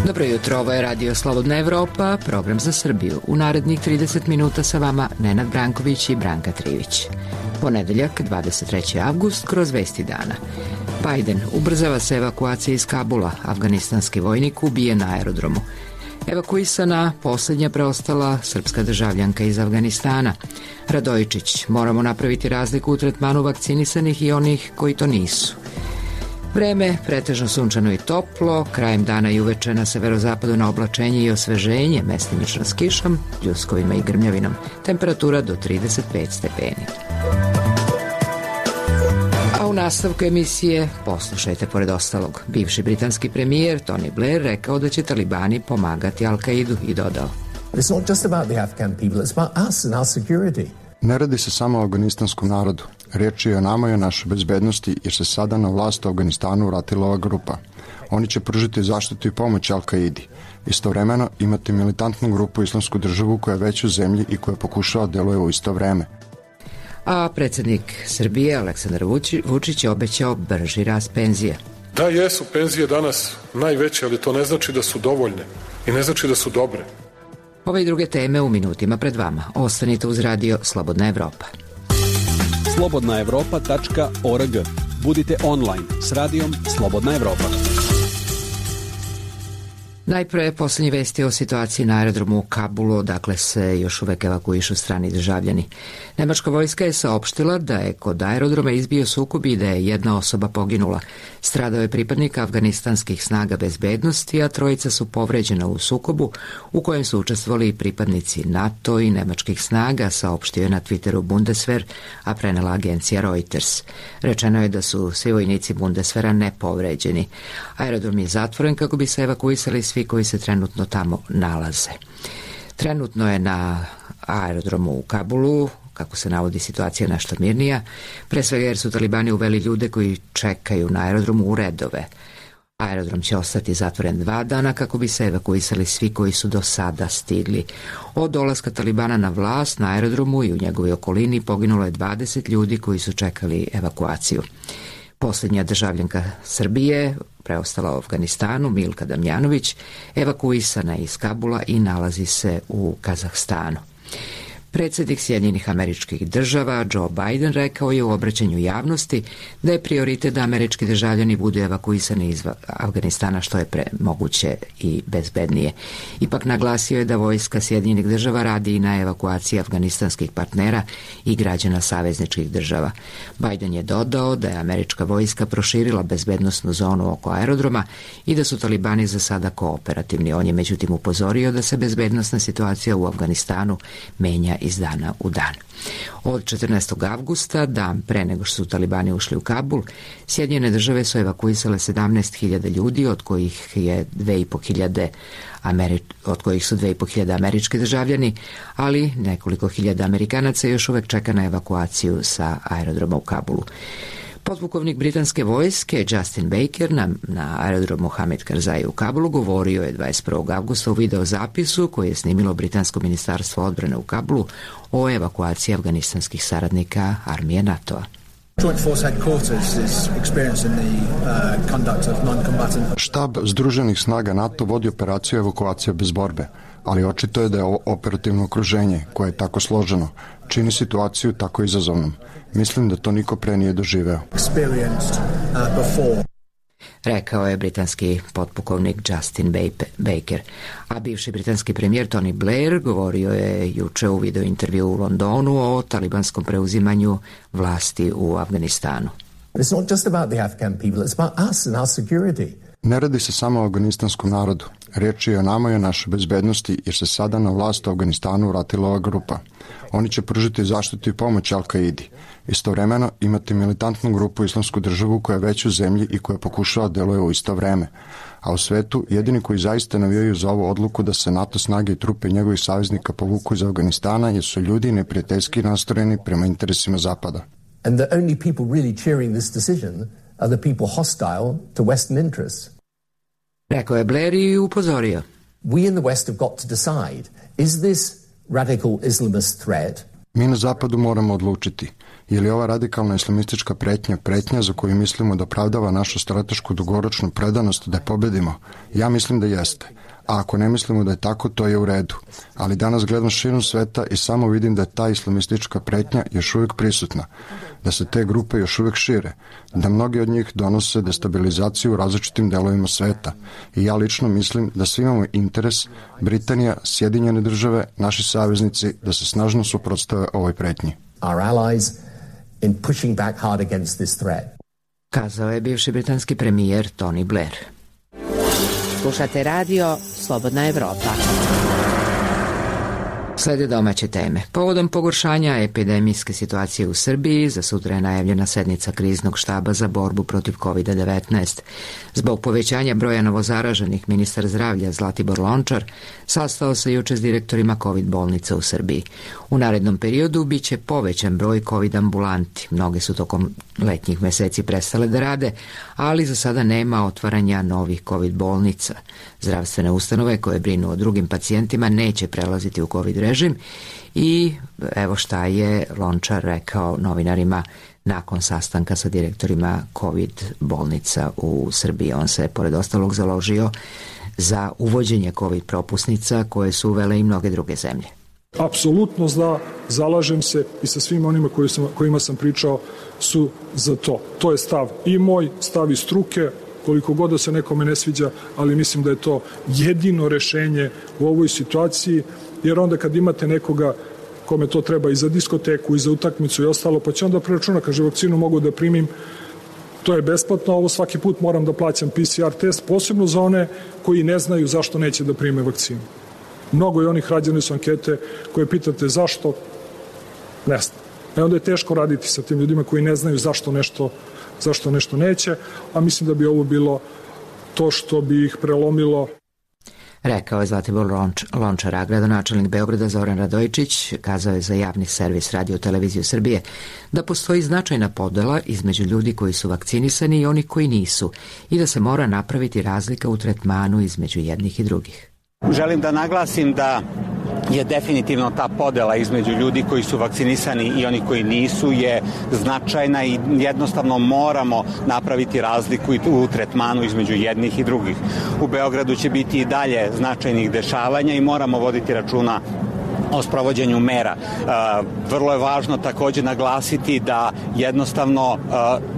Dobro jutro, ovo je Radio Slobodna Evropa, program za Srbiju. U narednih 30 minuta sa vama Nenad Branković i Branka Trivić. Ponedeljak, 23. avgust, kroz vesti dana. Biden ubrzava se evakuacija iz Kabula, afganistanski vojnik ubijen na aerodromu. Evakuisana posljednja preostala srpska državljanka iz Afganistana. Radojičić, moramo napraviti razliku u tretmanu vakcinisanih i onih koji to nisu. Vreme, pretežno sunčano i toplo, krajem dana i uveče na severozapadu na oblačenje i osveženje, mestimično s kišom, pljuskovima i grmljavinom, temperatura do 35 stepeni. A u nastavku emisije poslušajte pored ostalog. Bivši britanski premijer Tony Blair rekao da će talibani pomagati Al-Kaidu i dodao: It's not just about the Afghan people, it's about us and our security. Ne radi se samo o afganistanskom narodu. Riječ je o nama i o našoj bezbednosti, jer se sada na vlast u Afganistanu vratila ova grupa. Oni će pružiti zaštitu i pomoć Al-Kaidi. Istovremeno imate militantnu grupu Islamsku državu koja je već u zemlji i koja pokušava deluje u isto vreme. A predsjednik Srbije Aleksandar Vučić je obećao brži rast penzije. Da, jesu penzije danas najveće, ali to ne znači da su dovoljne i ne znači da su dobre. Ove i druge teme u minutima pred vama. Ostanite uz Radio Slobodna Evropa. slobodnaevropa.org. Budite online s radijom Slobodna Evropa. Najpre posljednje vesti o situaciji na aerodromu u Kabulu, odakle se još uvek evakuišu strani državljani. Nemačka vojska je saopštila da je kod aerodroma izbio sukob i da je jedna osoba poginula. Stradao je pripadnik afganistanskih snaga bezbednosti, a trojica su povređena u sukobu u kojem su učestvovali i pripadnici NATO i nemačkih snaga, saopštio je na Twitteru Bundeswehr, a prenela agencija Reuters. Rečeno je da su svi vojnici Bundeswehra nepovređeni. Aerodrom je zatvoren kako bi se evakuisali svi koji se trenutno tamo nalaze. Trenutno je na aerodromu u Kabulu, kako se navodi, situacija nešto mirnija, pre svega jer su talibani uveli ljude koji čekaju na aerodromu u redove. Aerodrom će ostati zatvoren 2 dana kako bi se evakuisali svi koji su do sada stigli. Od dolaska talibana na vlast na aerodromu i u njegovoj okolini poginulo je 20 ljudi koji su čekali evakuaciju. Posljednja državljanka Srbije, preostala u Afganistanu, Milka Damjanović, evakuisana je iz Kabula i nalazi se u Kazahstanu. Predsjednik Sjedinjenih Američkih Država Joe Biden rekao je u obraćanju javnosti da je prioritet da američki državljani budu evakuisani iz Afganistana što je moguće i bezbednije. Ipak naglasio je da vojska Sjedinjenih Država radi i na evakuaciji afganistanskih partnera i građana savezničkih država. Biden je dodao da je američka vojska proširila bezbednosnu zonu oko aerodroma i da su talibani za sada kooperativni. On je međutim upozorio da se bezbednosna situacija u Afganistanu menja iz dana u dan. Od 14. avgusta, dan pre nego što su talibani ušli u Kabul, Sjedinjene države su evakuisale 17.000 ljudi, od kojih su 2.500 američki državljani, ali nekoliko hiljada Amerikanaca još uvek čeka na evakuaciju sa aerodroma u Kabulu. Podpukovnik britanske vojske Justin Baker na aerodromu Hamid Karzai u Kabulu govorio je 21. avgusta u videozapisu koji je snimilo britansko ministarstvo odbrane u Kabulu o evakuaciji afganistanskih saradnika armije NATO-a. Štab Združenih snaga NATO vodi operaciju evakuacije bez borbe, ali očito je da je ovo operativno okruženje, koje je tako složeno, čini situaciju tako izazovnom. Mislim da to niko pre nije doživeo. Rekao je britanski potpukovnik Justin Baker. A bivši britanski premijer Tony Blair govorio je juče u video intervju u Londonu o talibanskom preuzimanju vlasti u Afganistanu. It's not just about the Afghan people, it's about us and our security. Ne radi se samo o afganistanskom narodu. Riječ je o nama i o našoj bezbednosti, jer se sada na vlast u Afganistanu vratila ova grupa. Oni će pružiti zaštitu i pomoć Al-Kaidi. Istovremeno imate militantnu grupu Islamsku državu koja je već u zemlji i koja pokušava deluje u isto vreme. A u svetu jedini koji zaista navijaju za ovu odluku da se NATO snage i trupe njegovih saveznika povuku iz Afganistana jesu ljudi neprijateljski nastrojeni prema interesima Zapada. And the only people really cheering this decision are the people hostile to Western interests. Rekao je Blair i upozorio. We in the West have got to decide, is this radical Islamist threat? Mi na zapadu moramo odlučiti, je li ova radikalna islamistička pretnja za koju mislimo da opravdava našu stratešku dugoročnu predanost da je pobedimo? Ja mislim da jeste. A ako ne mislimo da je tako, to je u redu. Ali danas gledam širom sveta i samo vidim da je ta islamistička pretnja još uvijek prisutna, da se te grupe još uvijek šire, da mnogi od njih donose destabilizaciju u različitim delovima sveta. I ja lično mislim da svi imamo interes, Britanija, Sjedinjene države, naši saveznici, da se snažno suprotstave ovoj pretnji. Our allies in pushing back hard against this threat. Kazao je bivši britanski premijer Tony Blair. Slušate radio Slobodna Evropa. Slede domaće teme. Povodom pogoršanja epidemijske situacije u Srbiji, za sutra je najavljena sednica kriznog štaba za borbu protiv COVID-19. Zbog povećanja broja novozaraženih, ministar zdravlja Zlatibor Lončar sastao se juče s direktorima COVID bolnica u Srbiji. U narednom periodu biće povećan broj COVID ambulanti. Mnoge su tokom letnjih meseci prestale da rade, ali za sada nema otvaranja novih COVID bolnica. Zdravstvene ustanove koje brinu o drugim pacijentima neće prelaziti u COVID režim i evo šta je Lončar rekao novinarima nakon sastanka sa direktorima COVID bolnica u Srbiji. On se, pored ostalog, založio za uvođenje COVID propusnica koje su uvele i mnoge druge zemlje. Apsolutno zalažem se i sa svim onima kojima sam pričao su za to. To je stav i moj, stav i struke, koliko god da se nekome ne sviđa, ali mislim da je to jedino rešenje u ovoj situaciji, jer onda kad imate nekoga kome to treba i za diskoteku i za utakmicu i ostalo, pa će onda preračuna, kaže vakcinu mogu da primim, to je besplatno, ovo svaki put moram da plaćam PCR test, posebno za one koji ne znaju zašto neće da prime vakcinu. Mnogo je onih, rađene su ankete koje pitate zašto, ne znam. Onda je teško raditi sa tim ljudima koji ne znaju zašto nešto neće, a mislim da bi ovo bilo to što bi ih prelomilo. Rekao je Zlatibor Lončar, a gradonačelnik Beograda Zoran Radojičić kazao je za javni servis Radio televiziju Srbije da postoji značajna podela između ljudi koji su vakcinisani i onih koji nisu i da se mora napraviti razlika u tretmanu između jednih i drugih. Želim da naglasim da je definitivno ta podela između ljudi koji su vakcinisani i oni koji nisu je značajna i jednostavno moramo napraviti razliku u tretmanu između jednih i drugih. U Beogradu će biti i dalje značajnih dešavanja i moramo voditi računa o sprovođenju mera. Vrlo je važno takođe naglasiti da jednostavno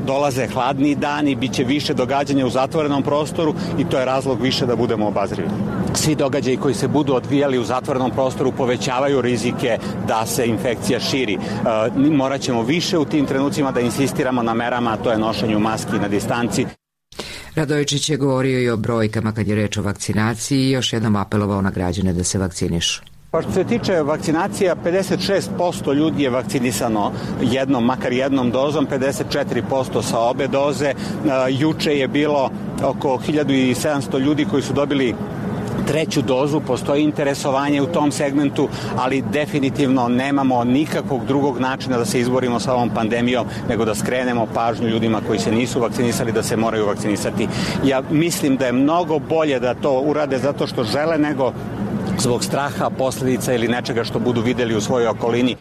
dolaze hladniji dani, bit će više događanja u zatvorenom prostoru i to je razlog više da budemo obazrivi. Svi događaji koji se budu odvijali u zatvorenom prostoru povećavaju rizike da se infekcija širi. Morat ćemo više u tim trenucima da insistiramo na merama, a to je nošenju maski na distanci. Radojičić je govorio i o brojkama kad je reč o vakcinaciji i još jednom apelovao na građane da se vakcinišu. Pa što se tiče vakcinacija, 56% ljudi je vakcinisano makar jednom dozom, 54% sa obe doze. Juče je bilo oko 1700 ljudi koji su dobili treću dozu, postoji interesovanje u tom segmentu, ali definitivno nemamo nikakvog drugog načina da se izborimo sa ovom pandemijom, nego da skrenemo pažnju ljudima koji se nisu vakcinisali da se moraju vakcinisati. Ja mislim da je mnogo bolje da to urade zato što žele nego zbog straha, posljedica ili nečega što budu videli u svojoj okolini.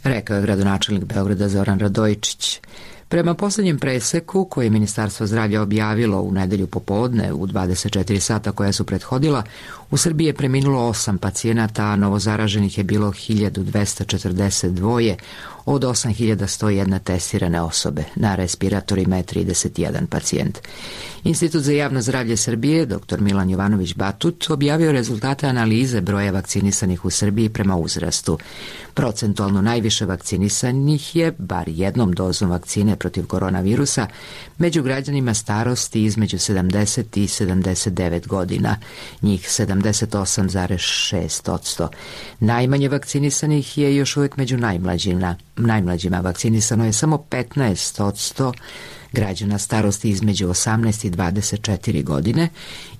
Rekao je gradonačelnik Beograda Zoran Radojičić. Prema poslednjem preseku koje je Ministarstvo zdravlja objavilo u nedelju popodne u 24 sata koja su prethodila, u Srbiji je preminulo 8 pacijenata, a novozaraženih je bilo 1242, od 8101 testirane osobe. Na respiratorima je 31 pacijent. Institut za javno zdravlje Srbije, dr. Milan Jovanović Batut, objavio rezultate analize broja vakcinisanih u Srbiji prema uzrastu. Procentualno najviše vakcinisanih je, bar jednom dozom vakcine protiv koronavirusa, među građanima starosti između 70 i 79 godina, njih 78,6%. Najmanje vakcinisanih je još uvijek među najmlađima. Vakcinisano je samo 15% građana starosti između 18 i 24 godine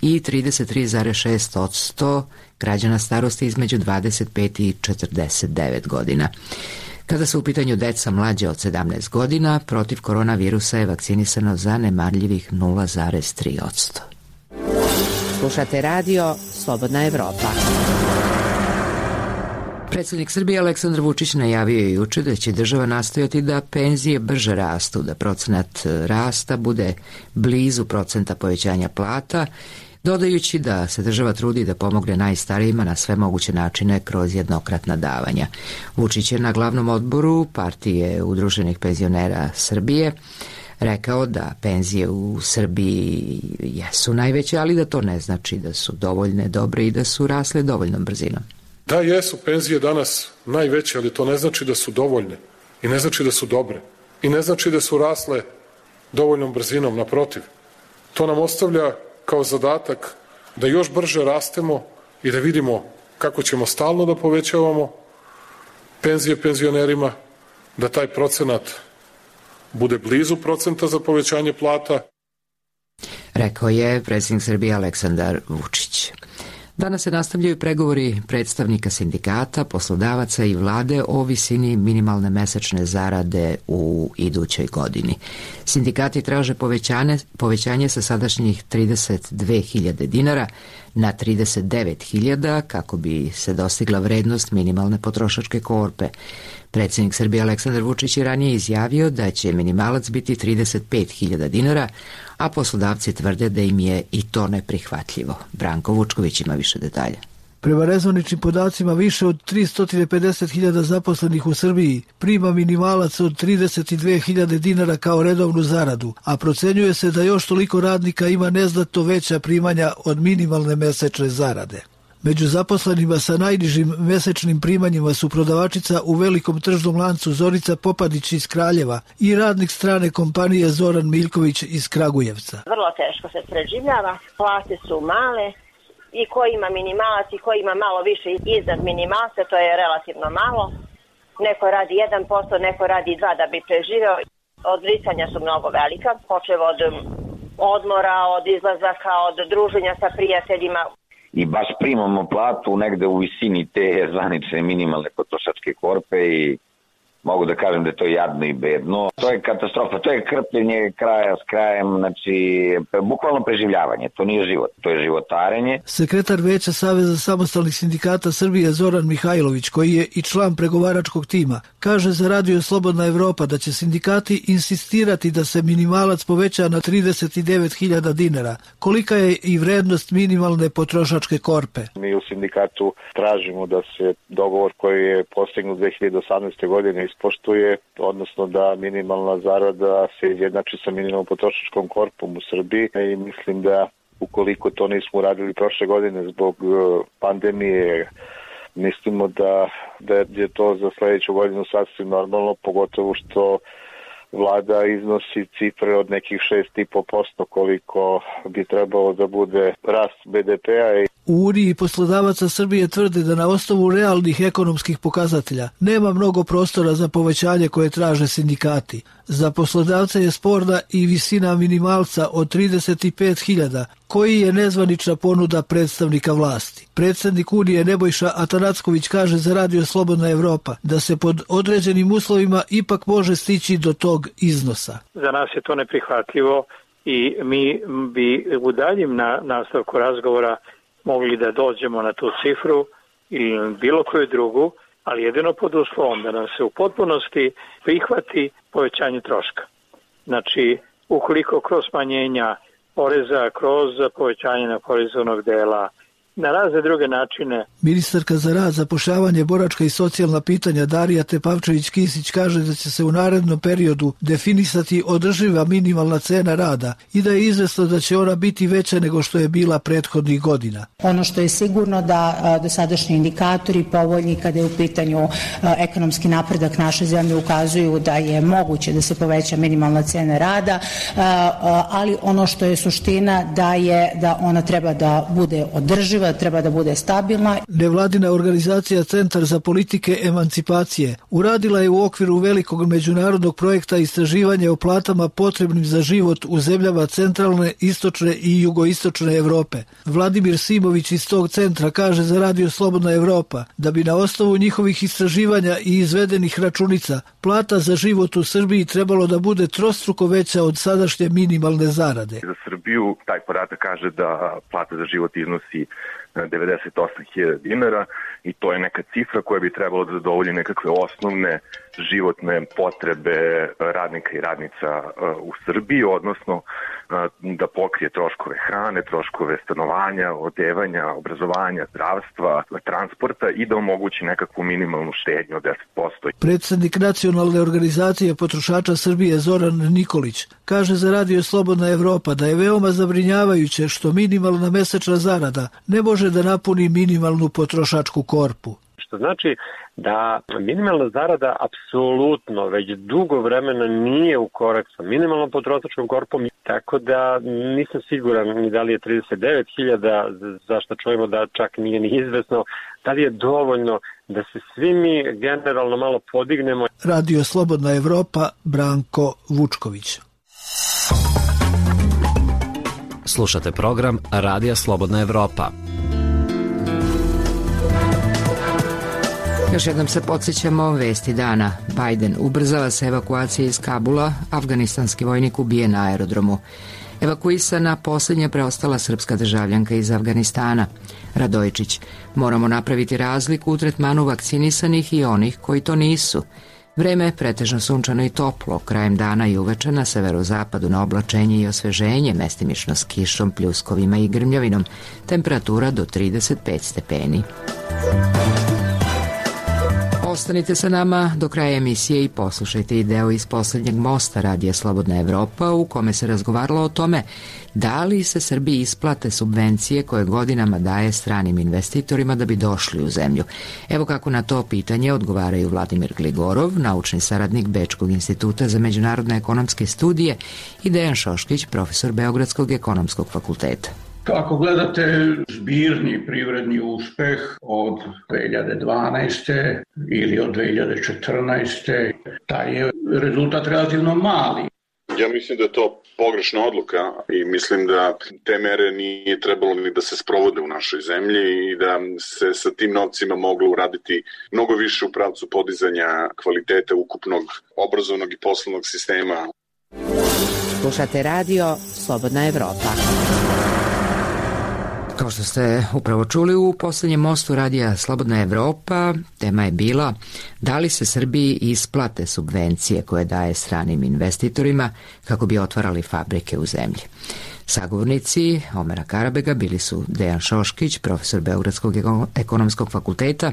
i 33,6% građana starosti između 25 i 49 godina. Kada su u pitanju deca mlađe od 17 godina, protiv koronavirusa je vakcinisano zanemarljivih 0,3%. Slušate radio Slobodna Evropa. Predsjednik Srbije Aleksandar Vučić najavio je juče da će država nastojati da penzije brže rastu, da procenat rasta bude blizu procenta povećanja plata, dodajući da se država trudi da pomogne najstarijima na sve moguće načine kroz jednokratna davanja. Vučić je na glavnom odboru Partije udruženih penzionera Srbije rekao da penzije u Srbiji jesu najveće, ali da to ne znači da su dovoljne, dobre i da su rasle dovoljnom brzinom. Da, jesu penzije danas najveće, ali to ne znači da su dovoljne i ne znači da su dobre i ne znači da su rasle dovoljnom brzinom, naprotiv. To nam ostavlja kao zadatak da još brže rastemo i da vidimo kako ćemo stalno da povećavamo penzije penzionerima, da taj procenat bude blizu procenta za povećanje plata. Rekao je predsjednik Srbije Aleksandar Vučić. Danas se nastavljaju pregovori predstavnika sindikata, poslodavaca i vlade o visini minimalne mesečne zarade u idućoj godini. Sindikati traže povećanje sa sadašnjih 32.000 dinara na 39.000 kako bi se dostigla vrednost minimalne potrošačke korpe. Predsjednik Srbije Aleksandar Vučić je ranije izjavio da će minimalac biti 35.000 dinara, a poslodavci tvrde da im je i to neprihvatljivo. Branko Vučković ima više detalja. Prema rezvaničnim podacima, više od 350.000 zaposlenih u Srbiji prima minimalac od 32.000 dinara kao redovnu zaradu, a procenjuje se da još toliko radnika ima neznatno veća primanja od minimalne mesečne zarade. Među zaposlenima sa najnižim mesečnim primanjima su prodavačica u velikom tržnom lancu Zorica Popadić iz Kraljeva i radnik strane kompanije Zoran Miljković iz Kragujevca. Vrlo teško se preživljava, plate su male i ko ima minimalac i ko ima malo više iznad minimalca, to je relativno malo. Neko radi 1%, neko radi 2% da bi preživeo. Odricanja su mnogo velika, počev od odmora, od izlazaka, od druženja sa prijateljima. I baš primamo platu negde u visini te zvanične minimalne potrošačke korpe i mogu da kažem da je to jadno i bedno. To je katastrofa, to je krpljenje kraja s krajem, znači bukvalno preživljavanje, to nije život, to je životarenje. Sekretar Veća Saveza samostalnih sindikata Srbije Zoran Mihajlović, koji je i član pregovaračkog tima, kaže za Radio Slobodna Evropa da će sindikati insistirati da se minimalac poveća na 39.000 dinara. Kolika je i vrednost minimalne potrošačke korpe? Mi u sindikatu tražimo da se dogovor koji je postignut 2018. godine ispoštuje, odnosno da minimalna zarada se izjednači sa minimalnom potrošačkom korpom u Srbiji i mislim da ukoliko to nismo uradili prošle godine zbog pandemije, mislimo da je to za sledeću godinu sasvim normalno, pogotovo što vlada iznosi cifre od nekih 6,5% koliko bi trebalo da bude rast BDP-a. U Uniji poslodavaca Srbije tvrde da na osnovu realnih ekonomskih pokazatelja nema mnogo prostora za povećanje koje traže sindikati. Za poslodavce je sporna i visina minimalca od 35.000, koji je nezvanična ponuda predstavnika vlasti. Predsjednik Unije Nebojša Atanacković kaže za Radio Slobodna Evropa da se pod određenim uslovima ipak može stići do tog iznosa. Za nas je to neprihvatljivo i mi bi u daljem nastavku razgovora mogli da dođemo na tu cifru ili bilo koju drugu, ali jedino pod uslovom da nam se u potpunosti prihvati povećanje troška. Znači, ukoliko kroz smanjenja poreza, kroz povećanje neoporezovanog dela, na razne druge načine. Ministarka za rad, zapošljavanje, boračka i socijalna pitanja Darija Tepavčević-Kisić kaže da će se u narednom periodu definisati održiva minimalna cena rada i da je izvesno da će ona biti veća nego što je bila prethodnih godina. Ono što je sigurno da dosadašnji indikatori povoljni kada je u pitanju ekonomski napredak naše zemlje ukazuju da je moguće da se poveća minimalna cena rada, ali ono što je suština da ona treba da bude održiva, treba da bude stabilna. Nevladina organizacija Centar za politike emancipacije uradila je u okviru velikog međunarodnog projekta istraživanja o platama potrebnim za život u zemljama centralne, istočne i jugoistočne Evrope. Vladimir Simović iz tog centra kaže za Radio Slobodna Evropa da bi na osnovu njihovih istraživanja i izvedenih računica plata za život u Srbiji trebalo da bude trostruko veća od sadašnje minimalne zarade. Za Srbiju taj podatak kaže da plata za život iznosi 98.000 dinara i to je neka cifra koja bi trebalo da zadovolji nekakve osnovne životne potrebe radnika i radnica u Srbiji, odnosno da pokrije troškove hrane, troškove stanovanja, odevanja, obrazovanja, zdravstva, transporta i da omogući nekakvu minimalnu štednju od 10%. Predsednik Nacionalne organizacije potrošača Srbije Zoran Nikolić kaže za Radio Slobodna Evropa da je veoma zabrinjavajuće što minimalna mesečna zarada ne može da napuni minimalnu potrošačku korpu. Što znači da minimalna zarada apsolutno već dugo vremena nije u korak sa minimalnom potrošačkom korpom, tako da nisam siguran ni da li je 39.000, zašto čujemo da čak nije ni izvesno, da li je dovoljno da se svi mi generalno malo podignemo. Radio Slobodna Evropa, Branko Vučković. Slušate program Radija Slobodna Evropa. Još jednom se podsjećamo vesti dana. Biden ubrzava se evakuacija iz Kabula, afganistanski vojnik ubijen na aerodromu. Evakuisana posljednja preostala srpska državljanka iz Afganistana. Radojičić, moramo napraviti razliku u tretmanu vakcinisanih i onih koji to nisu. Vreme je pretežno sunčano i toplo, krajem dana i uveče na severozapadu na oblačenje i osveženje, mestimično s kišom, pljuskovima i grmljavinom, temperatura do 35 stepeni. Ostanite sa nama do kraja emisije i poslušajte i deo iz posljednjeg mosta Radija Slobodna Evropa u kome se razgovaralo o tome da li se Srbiji isplate subvencije koje godinama daje stranim investitorima da bi došli u zemlju. Evo kako na to pitanje odgovaraju Vladimir Gligorov, naučni saradnik Bečkog instituta za međunarodne ekonomske studije, i Dejan Šoškić, profesor Beogradskog ekonomskog fakulteta. Ako gledate zbirni privredni uspeh od 2012. ili od 2014. taj je rezultat relativno mali. Ja mislim da je to pogrešna odluka i mislim da te mere nije trebalo ni da se sprovode u našoj zemlji i da se sa tim novcima moglo uraditi mnogo više u pravcu podizanja kvaliteta ukupnog obrazovnog i poslovnog sistema. Slušate Radio Slobodna Evropa. Kao što ste upravo čuli u posljednjem mostu Radija Slobodna Evropa, tema je bila da li se Srbiji isplate subvencije koje daje stranim investitorima kako bi otvarali fabrike u zemlji. Sagovornici Omera Karabega bili su Dejan Šoškić, profesor Beogradskog ekonomskog fakulteta,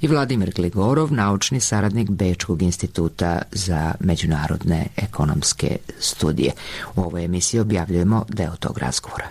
i Vladimir Gligorov, naučni saradnik Bečkog instituta za međunarodne ekonomske studije. U ovoj emisiji objavljujemo deo tog razgovora.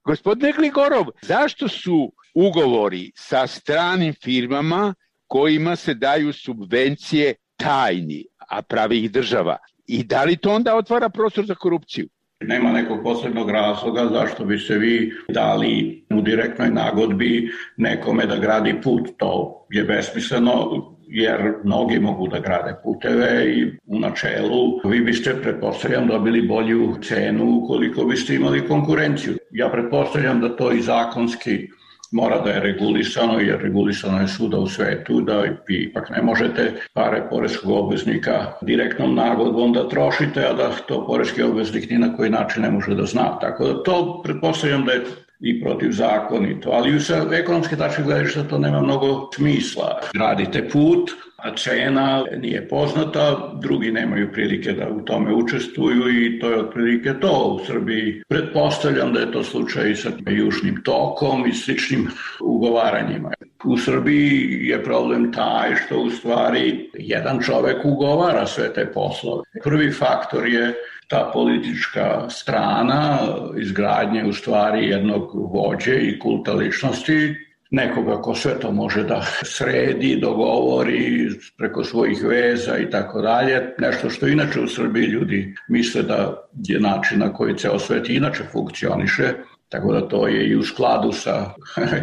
Gospodine Gligorov, zašto su ugovori sa stranim firmama kojima se daju subvencije tajni, a pravi ih država? I da li to onda otvara prostor za korupciju? Nema nekog posebnog razloga zašto bi se vi dali u direktnoj nagodbi nekome da gradi put. To je besmisleno, jer mnogi mogu da grade puteve i u načelu vi biste, pretpostavljam, dobili bolju cenu ukoliko biste imali konkurenciju. Ja pretpostavljam da to i zakonski mora da je regulisano, jer regulisano je svuda u svetu, da vi ipak ne možete pare poreskog obveznika direktnom nagodbom da trošite, a da to poreski obveznik ni na koji način ne može da zna. Tako da to pretpostavljam da je i protivzakonito, ali sa ekonomske tačke gledišta to nema mnogo smisla. Gradite put, a cena nije poznata, drugi nemaju prilike da u tome učestvuju i to je otprilike to. U Srbiji pretpostavljam da je to slučaj i sa Južnim tokom i sličnim ugovaranjima. U Srbiji je problem taj što u stvari jedan čovek ugovara sve te poslove. Prvi faktor je ta politička strana izgradnje u stvari jednog vođe i kulta ličnosti, nekoga ko sve to može da sredi, dogovori preko svojih veza i tako dalje. Nešto što inače u Srbiji ljudi misle da je način na koji ceo svet inače funkcioniše, tako da to je i u skladu sa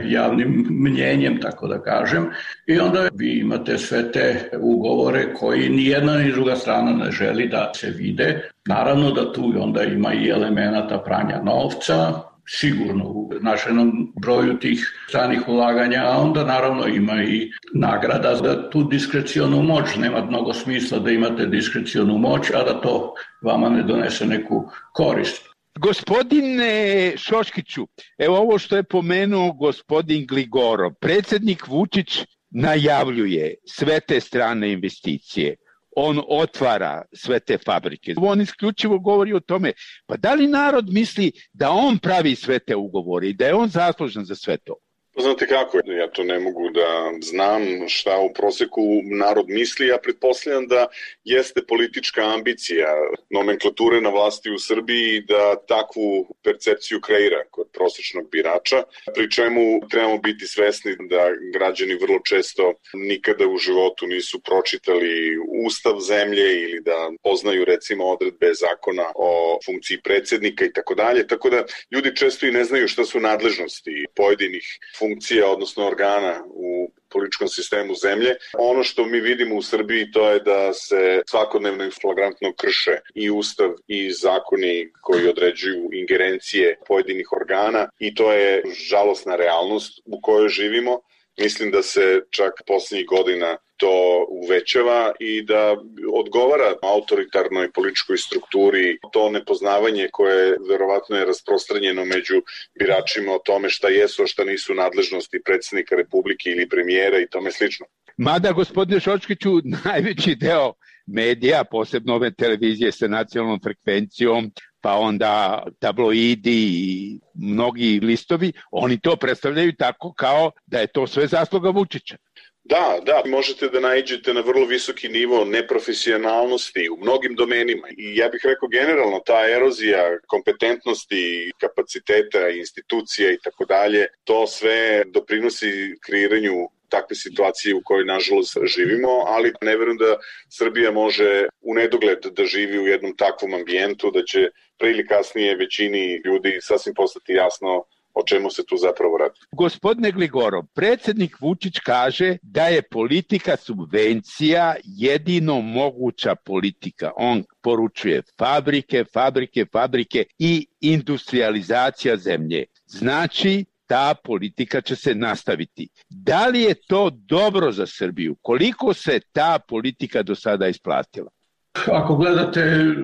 javnim mnjenjem, tako da kažem. I onda vi imate sve te ugovore koji ni jedna ni druga strana ne želi da se vide. Naravno da tu onda ima i elemenata pranja novca, sigurno u značajnom broju tih stranih ulaganja, a onda naravno ima i nagrada za tu diskrecionu moć. Nema mnogo smisla da imate diskrecionu moć, a da to vama ne donese neku korist. Gospodine Šoškiću, evo ovo što je pomenuo gospodin Gligorov, predsjednik Vučić najavljuje sve te strane investicije. On otvara sve te fabrike. On isključivo govori o tome, pa da li narod misli da on pravi sve te ugovore i da je on zaslužan za sve to? Znate kako, ja to ne mogu da znam šta u proseku narod misli, ja pretpostavljam da jeste politička ambicija nomenklature na vlasti u Srbiji da takvu percepciju kreira kod prosečnog birača, pri čemu trebamo biti svesni da građani vrlo često nikada u životu nisu pročitali ustav zemlje ili da poznaju recimo odredbe zakona o funkciji predsjednika i tako dalje, tako da ljudi često i ne znaju šta su nadležnosti pojedinih funkcija, odnosno organa u političkom sistemu zemlje. Ono što mi vidimo u Srbiji to je da se svakodnevno i flagrantno krše i ustav i zakoni koji određuju ingerencije pojedinih organa i to je žalosna realnost u kojoj živimo. Mislim da se čak poslednjih godina to uvećava i da odgovara autoritarnoj političkoj strukturi to nepoznavanje koje verovatno je rasprostranjeno među biračima o tome šta jesu, a šta nisu nadležnosti predsjednika Republike ili premijera i tome slično. Mada, gospodine Šoškiću, najveći deo medija, posebno ove televizije sa nacionalnom frekvencijom, pa onda tabloidi i mnogi listovi, oni to predstavljaju tako kao da je to sve zasluga Vučića. Da, možete da naiđete na vrlo visoki nivo neprofesionalnosti u mnogim domenima i ja bih rekao generalno ta erozija kompetentnosti, kapaciteta, institucija i tako dalje, to sve doprinosi kreiranju takve situacije u kojoj nažalost živimo, ali ne verujem da Srbija može u nedogled da živi u jednom takvom ambijentu, da će pre ili kasnije većini ljudi sasvim postati jasno o čemu se tu zapravo radi. Gospodine Gligorov, predsjednik Vučić kaže da je politika subvencija jedino moguća politika. On poručuje fabrike i industrializacija zemlje. Znači, ta politika će se nastaviti. Da li je to dobro za Srbiju? Koliko se ta politika do sada isplatila? Ako gledate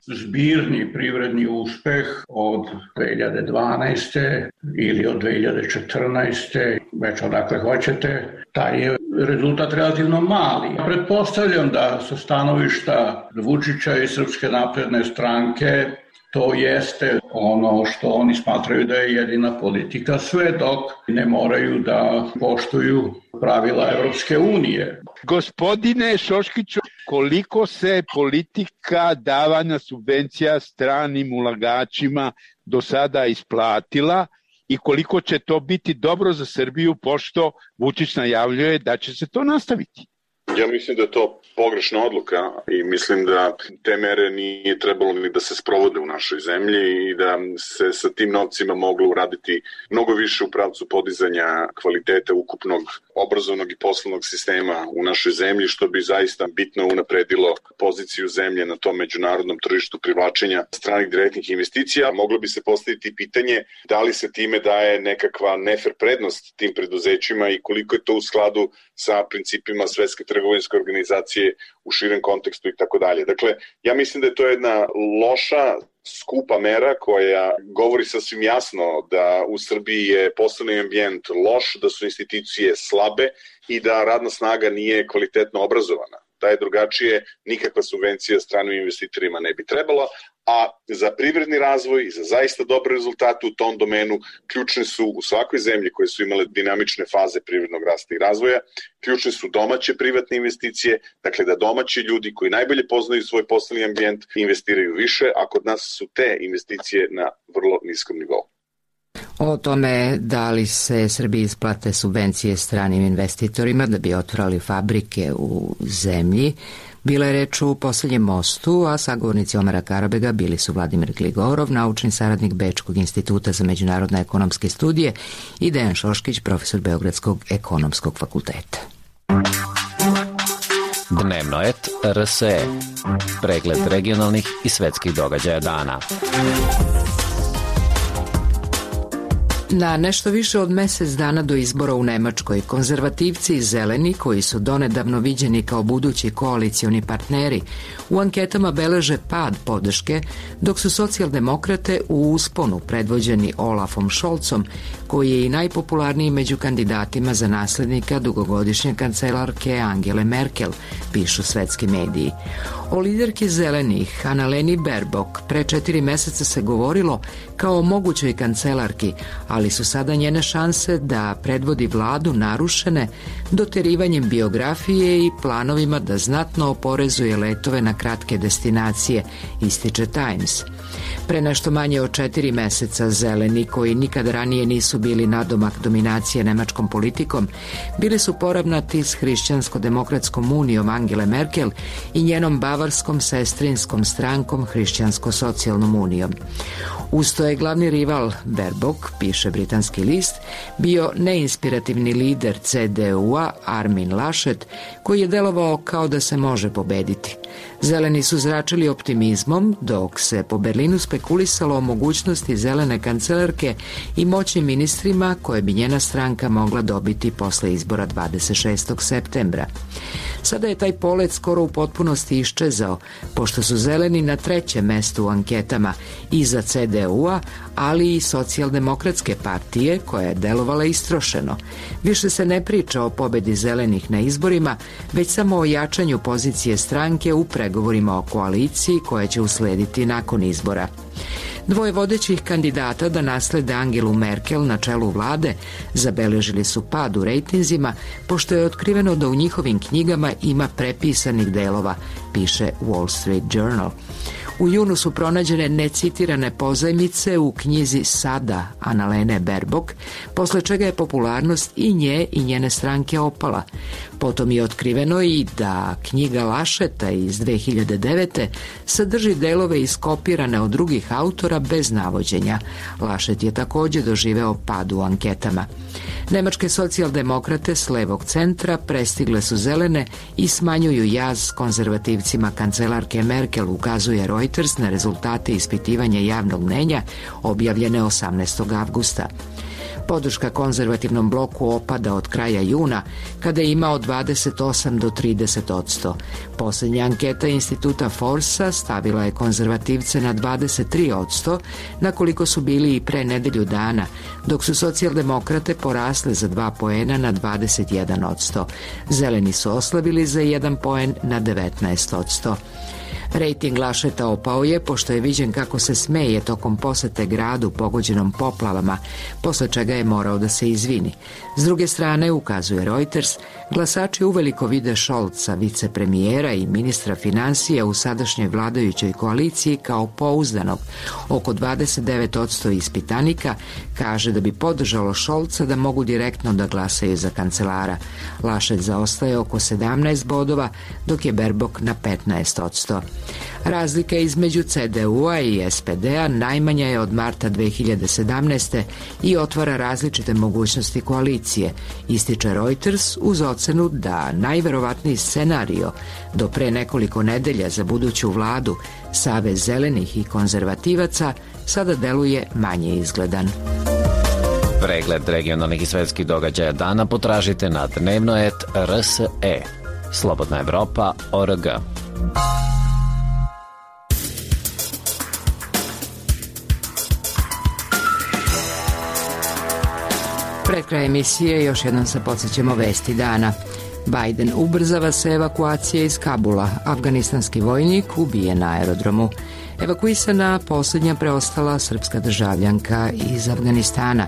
zbirni privredni uspeh od 2012. ili od 2014. već odakle hoćete, taj je rezultat relativno mali. Pretpostavljam da sa stanovišta Vučića i Srpske napredne stranke to jeste ono što oni smatraju da je jedina politika, sve dok ne moraju da poštuju pravila Evropske unije. Gospodine Šoškiću, koliko se politika davanja subvencija stranim ulagačima do sada isplatila i koliko će to biti dobro za Srbiju, pošto Vučić najavljuje da će se to nastaviti? Ja mislim da je to pogrešna odluka i mislim da te mere nije trebalo ni da se sprovode u našoj zemlji i da se sa tim novcima moglo uraditi mnogo više u pravcu podizanja kvaliteta ukupnog obrazovnog i poslovnog sistema u našoj zemlji, što bi zaista bitno unapredilo poziciju zemlje na tom međunarodnom tržištu privlačenja stranih direktnih investicija. Moglo bi se postaviti pitanje da li se time daje nekakva nefer prednost tim preduzećima i koliko je to u skladu sa principima Svetske trgovinske organizacije u širem kontekstu i tako dalje. Dakle, ja mislim da je to jedna loša, skupa mera koja govori sasvim jasno da u Srbiji je poslovni ambijent loš, da su institucije slabe i da radna snaga nije kvalitetno obrazovana. Da je drugačije, nikakva subvencija stranim investitorima ne bi trebala, a za privredni razvoj i za zaista dobre rezultate u tom domenu ključne su u svakoj zemlji koje su imale dinamične faze privrednog rasta i razvoja, ključne su domaće privatne investicije, dakle da domaći ljudi koji najbolje poznaju svoj poslovni ambijent investiraju više, a kod nas su te investicije na vrlo niskom nivou. O tome da li se Srbiji isplate subvencije stranim investitorima da bi otvorili fabrike u zemlji, bila je reč u poslednjem mostu, a sagovornici Omera Karabega bili su Vladimir Gligorov, naučni saradnik Bečkog instituta za međunarodne ekonomske studije, i Dejan Šoškić, profesor Beogradskog ekonomskog fakulteta. Dnevno et RSE. Pregled regionalnih i svetskih događaja dana. Na nešto više od mesec dana do izbora u Nemačkoj, konzervativci i zeleni, koji su donedavno viđeni kao budući koalicioni partneri, u anketama beleže pad podrške, dok su socijaldemokrate u usponu predvođeni Olafom Scholzom, koji je i najpopularniji među kandidatima za naslednika dugogodišnje kancelarke Angele Merkel, pišu svetski mediji. O liderki zelenih, Annaleni Baerbock, pre 4 meseca se govorilo kao o mogućoj kancelarki, ali su sada njene šanse da predvodi vladu narušene doterivanjem biografije i planovima da znatno oporezuje letove na kratke destinacije, ističe Times. Pre nešto manje od 4 meseca zeleni, koji nikad ranije nisu bili nadomak dominacije nemačkom politikom, bili su poravnati s Hrišćansko-demokratskom unijom Angele Merkel i njenom bavarskom sestrinskom strankom Hrišćansko-socijalnom unijom. Usto je glavni rival Baerbock, piše britanski list, bio neinspirativni lider CDU-a Armin Laschet, koji je delovao kao da se može pobediti. Zeleni su zračili optimizmom, dok se po Berlinu spekulisalo o mogućnosti zelene kancelarke i moćnim ministrima koje bi njena stranka mogla dobiti posle izbora 26. septembra. Sada je taj polet skoro u potpunosti iščezao, pošto su zeleni na 3. mestu u anketama iza CDU-a, ali i socijaldemokratske partije, koja je delovala istrošeno. Više se ne priča o pobedi zelenih na izborima, već samo o jačanju pozicije stranke u pregovorima o koaliciji koja će uslediti nakon izbora. Dvoje vodećih kandidata da naslede Angelu Merkel na čelu vlade zabeležili su pad u rejtinzima, pošto je otkriveno da u njihovim knjigama ima prepisanih delova, piše Wall Street Journal. U junu su pronađene necitirane pozajmice u knjizi Sada Annalene Baerbock, posle čega je popularnost i nje i njene stranke opala. Potom je otkriveno i da knjiga Lascheta iz 2009. sadrži delove iskopirane od drugih autora bez navođenja. Laschet je takođe doživeo pad u anketama. Nemačke socijaldemokrate s levog centra prestigle su zelene i smanjuju jaz s konzervativcima kancelarke Merkel, ukazuje Reuters na rezultate ispitivanja javnog mnenja objavljene 18. avgusta. Podrška konzervativnom bloku opada od kraja juna, kada je imao 28 do 30%. Poslednja anketa instituta Forsa stavila je konzervativce na 23%, na koliko su bili i pre nedelju dana, dok su socijaldemokrate porasle za 2 poena na 21%. Zeleni su oslabili za 1 poen na 19%. Rejting Lascheta opao je, pošto je viđen kako se smeje tokom posete gradu pogođenom poplavama, posle čega je morao da se izvini. S druge strane, ukazuje Reuters, glasači uveliko vide Scholza, vicepremijera i ministra finansija u sadašnjoj vladajućoj koaliciji, kao pouzdanog. Oko 29% ispitanika kaže da bi podržalo Scholza da mogu direktno da glasaju za kancelara. Laschet zaostaje oko 17 bodova, dok je Baerbock na 15%. Razlika između CDU-a i SPD-a najmanja je od marta 2017. i otvara različite mogućnosti koalicije, ističe Reuters uz ocenu da najverovatniji scenario do pre nekoliko nedelja za buduću vladu, Savez zelenih i konzervativaca, sada deluje manje izgledan. Pregled regionalnih i svetskih događaja dana potražite na dnevnoet.rse. Slobodna Evropa.org. Pred kraj emisije još jednom se podsjećamo vesti dana. Biden ubrzava se evakuacija iz Kabula. Afganistanski vojnik ubijen na aerodromu. Evakuisana posljednja preostala srpska državljanka iz Afganistana.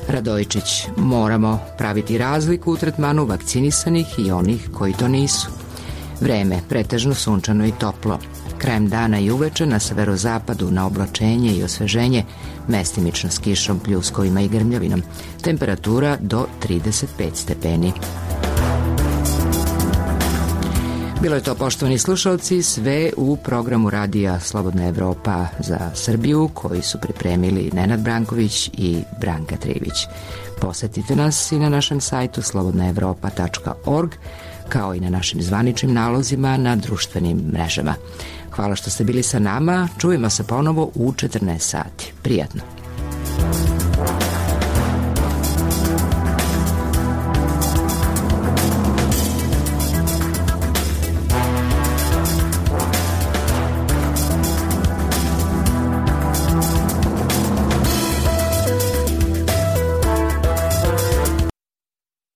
Radojičić, moramo praviti razliku u tretmanu vakcinisanih i onih koji to nisu. Vreme, pretežno sunčano i toplo. Krajem dana i uveče na severozapadu na oblačenje i osveženje, mestimično s kišom, pljuskovima i grmljavinom. Temperatura do 35 stepeni. Bilo je to, poštovani slušalci, sve u programu radija Slobodna Evropa za Srbiju, koji su pripremili Nenad Branković i Branka Trivić. Posetite nas i na našem sajtu slobodnaevropa.org, kao i na našim zvaničnim nalozima na društvenim mrežama. Hvala što ste bili sa nama, čujemo se ponovo u 14 sati. Prijatno.